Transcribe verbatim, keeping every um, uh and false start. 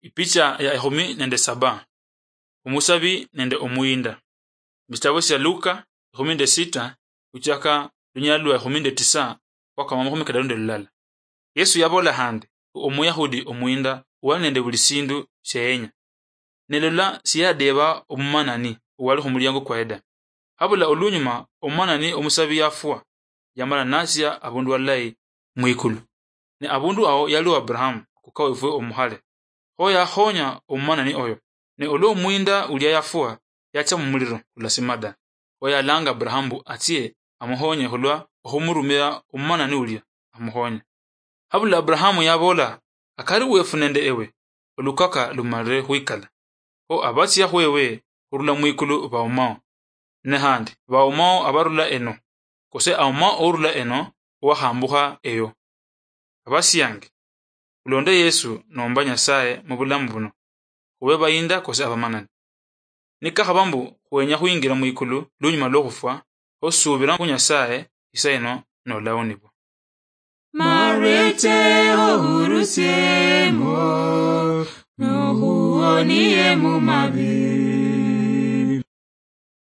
Ipicha ya ekhumi nende saba. Omusabi nende omuyinda. Mubitabo sia Luka ekhumi nende sita, khuchaka lunyala lwa ekhumi nende tisa mpaka makhumi kadaru nende lulala. Yesu yabola handi, Omuyahudi omuyinda wali nende buli sindu siayenya. Ne lola, siyadeba omumanani owali khumuliango kwaye da. Habula olunyuma, omumanani omusabi yafwa, yamala natsia abundu alayi mwikulu. Ne abundu awo yaliwo Abrahamu, kuka wefwe omukhale. Kho yakhonya omumanani oyo. Ne olwa omuyinda ulia yafwa, yatsia mumuliro kulasima da. Kho yalanga Abrahamu mbu atsie amukhonye khulwa okhumurumira omumanani ulia amukhonye. Habula Abrahamu yabola, Akari wefu nende ewe, olukaka lumalire khwikala. Kho abatsia khwewe khurula mwikulu baumao. Ne handi, baumao abarula eno, kose aumao ourula eno, owakhambukha eyo. Abasiange, khulonde Yesu nomba Nyasaye mubulamu buno, khube bayinda kose abamanani. Nikakhaba mbu khwenya khwingira mwikulu lunyuma lwokhufwa, kho subira khu Nyasaye isa ino nolaonibwa. Marete ohurusiemo, nohuonie mumabi.